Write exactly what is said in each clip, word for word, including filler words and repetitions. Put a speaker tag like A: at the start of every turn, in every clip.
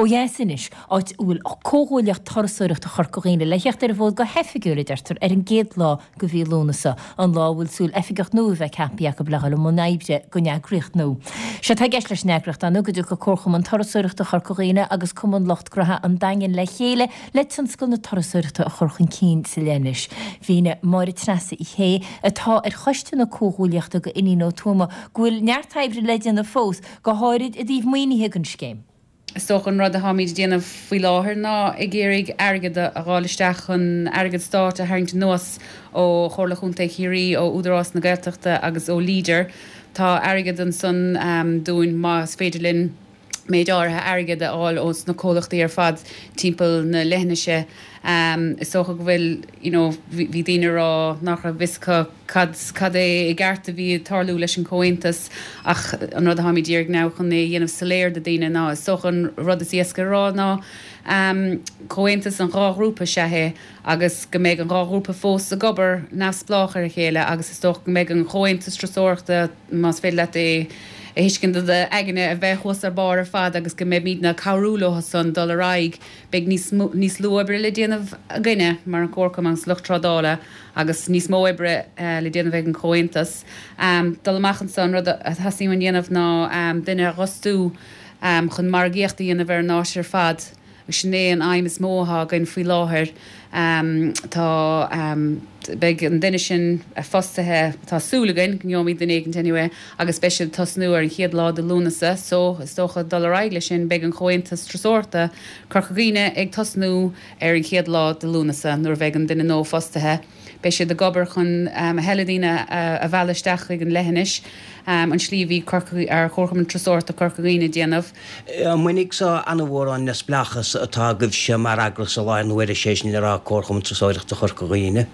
A: Ó dheas anois, áit a bhfuil Comhghuaillíocht Turasóireachta Chorca Dhuibhne le theacht ar an bhfód go hoifigiúil a deirtear ar an gcéad lá de mhí Lúnasa, an lá a bhfuil súil oifigeach nua a bheith ceaptha acu le dhul i mbun oibre don eagraíocht nua. Sé atá i gceist leis an eagraíocht ná go dtiocfaidh Comharchumann Turasóireachta Chorca Dhuibhne agus Cumann Lucht Gnótha an Daingin le chéile le tionscal na turasóireachta a chur chun cinn sa leithinis. Mhínigh Máire Treasa Uí Shé atá ar choiste na comhghuaillíochta do Iníon Ó Tuama go bhfuil neart oibre le déanamh fós go háirid i dtaobh maoinithe don scéim.
B: Is dócha an rud atáimid ag déanamh faoi láthair ná ag iarraidh airgead a fháil isteach chun airgead stáit a tharraingt anuas ó Chomhairle Chontae Chiarraí, ó Údarás na Gaeltachta agus ó Leader. Tá airgead ansan dúinn más féidir linn méid áirithe airgead a fháil ós na comhlachtaí ar fad timpeall na leithinise. Is dócha go bhfuil, you know, bhí daoine ag rá nach raibh fhios acu cad cad é i gceart a bhí ag tarlú leis an chomhaontas ach an rud atáimid ag iarraidh now chun é a dhéanamh soiléir do daoine ná is dócha an rud is éasca a rá ná comhaontas an dhá ghrúpa is ea é agus go mbeidh an dhá ghrúpa fós ag obair neamhspleách ar a chéile agus is dócha go mbeidh an chomhaontas turasóireachta más féidir leat é a thuiscint do d'aigne a bheith thuas ar barr ar fad agus go mbeimidne ag cabhrú leo san dul ar aghaidh. Beidh níos níos lú oibre le déanamh againne mar an Comharchumann agus lucht trádála agus níos mó oibre le déanamh ag an Chomhaontas. Dul amach anso an rud a theastaíonn uainn dhéanamh ná duine a dh'fhostú chun margaíocht a dhéanamh ar an áit ar fad. Sin é an aidhm is mó atá againn faoi láthair. Tá, beidh an duine sin fostaithe, tá súil againn go ngeobhaimid duine éicint anyway, agus beidh siad ag tosnú ar an chéad lá de Lúnasa so is dócha dul ar aghaidh leis sin beidh an Chomhaontas Turasóireachta Corca Dhuibhne ag tosnú ar an chéad lá de Lúnasa nuair a bheidh an duine nua fostaithe. Beidh siad ag obair chun a thuilleadh daoine a mhealladh isteach chuig an leithinis, an slí a bhí Comharchumann Turasóireachta Chorca Dhuibhne ag déanamh.
C: An mbainfidh so an-mhór ón neamhspleáchas atá agaibhse mar eagras i láthair na huaire, sé sin le rá Comharchumann Turasóireachta Chorca Dhuibhne?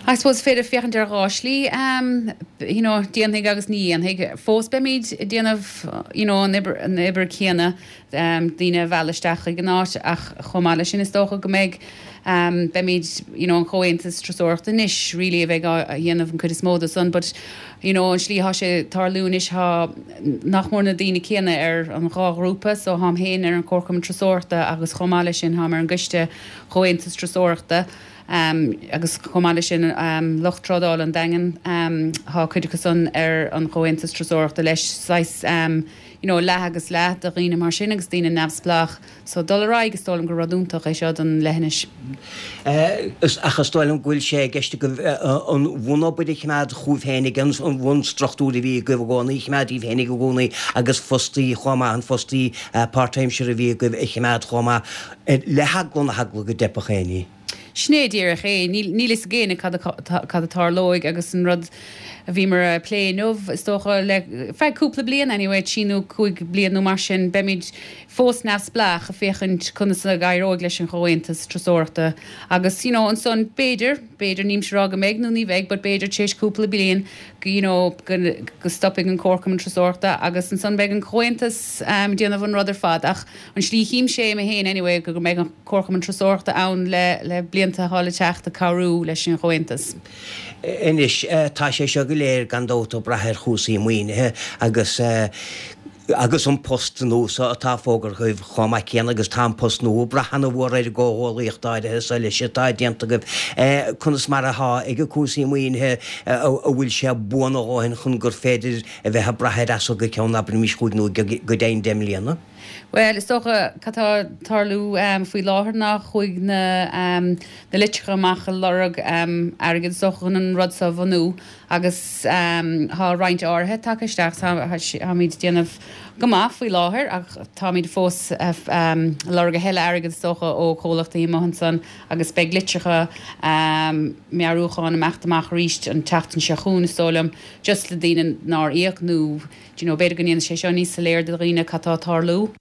B: I suppose is féidir féachaint ar dhá shlí, you know, déanfaidh agus ní dhéanfaidh. Fós beimid ag déanamh, you know, an obair, an obair céanna, daoine a mhealladh isteach chuig an áit ach chomh maith leis sin is dócha go mbeidh, beimid, you know, an Chomhaontas Turasóireachta anois really a bheidh á dhéanamh an chuid is mó de san but, you know, an slí atá sé ag tarlú anois tá nach mór na daoine céanna ar an dhá ghrúpa so tháim féin ar an Chomharchumann Turasóireachta agus chomh maith leis sin tháim ar an gcoiste Chomhaontas Turasóireachta agus chomh maith leis sin lucht trádála an Daingin tá cuid acu san ar an Chomhaontas Turasóireachta leis saghas you know leath agus leath de dhaoine mar sin agus daoine neamhspleách so dul ar aghaidh is dóigh liom gur rud iontach é seo don leithinis.
C: Ach is dóigh liom go bhfuil sé i gceist agaibh an bhunobair a choimeád chugaibh féinig, an bhunstruchtúr a bhí agaibh i gcónaí a choimeád daoibh féinig i gcónaí agus fostaí chomh maith, an fostaí páirtaimseartha a bhí agaibh a choimeád chomh maith le heagla na heagla go dteipfeadh éinní.
B: Sin é díreach é. Níl fhios ag éinne cad cad a tarlóidh agus an rud a bhíomar a plé inniu, is dócha, le feadh cúpla bliain anyway, trí nó cúig bliain nó mar sin, beimid fós neamhspleách ag féachaint conas a éireoidh leis an Chomhaontas Turasóireachta agus you know ansan b'fhéidir, b'fhéidir, nílimse ag rá go mbeidh nó ní bheidh but b'fhéidir tar éis cúpla bliain go you know go go stopfaidh an Comharchumann Turasóireachta agus ansan beidh an Comhaontas ag déanamh an rud ar fad ach an slí a chímse é mé féin anyway go mbeidh an Comharchumann Turasóireachta ann le le blianta atá le teacht ag cabhrú leis an Chomhaontas.
C: Anois, tá sé seo go léir gan dabht ag brath ar chúrsaí maoinithe agus agus an post nua so atá fógartha agaibh chomh maith céanna agus tá an post nua ag brath ana-mhór ar an gcomhghuallaíocht áirithe so leis atá déanta agaibh. Conas mar atá ag cúrsaí maoinithe, an bhfuil sé buan a dhóthain chun gur féidir a bheith ag brath air as so go ceann abraimis chúig nó go deimhin deich mbliana?
B: Bhuel, is dócha, cad tá ag tarlú faoi láthair ná chuaigh na na litreacha amach ag lorg airgid, is dócha, chun an rud seo a bhunú agus tá roinnt áirithe tagtha isteach. Táimid ag déanamh go maith faoi láthair ach táimid fós ag lorg a thuilleadh airgid, is dócha, ó chomhlachtaí amuigh ansan agus beidh litreacha meabhrúcháin ag imeacht amach arís an tseachtain seo chugainn, is dóigh liom, just le daoine nár íoc nó. Do you know, b'fhéidir go ndéanfaidh sé seo níos soiléir do dhaoine cad tá ag tarlú.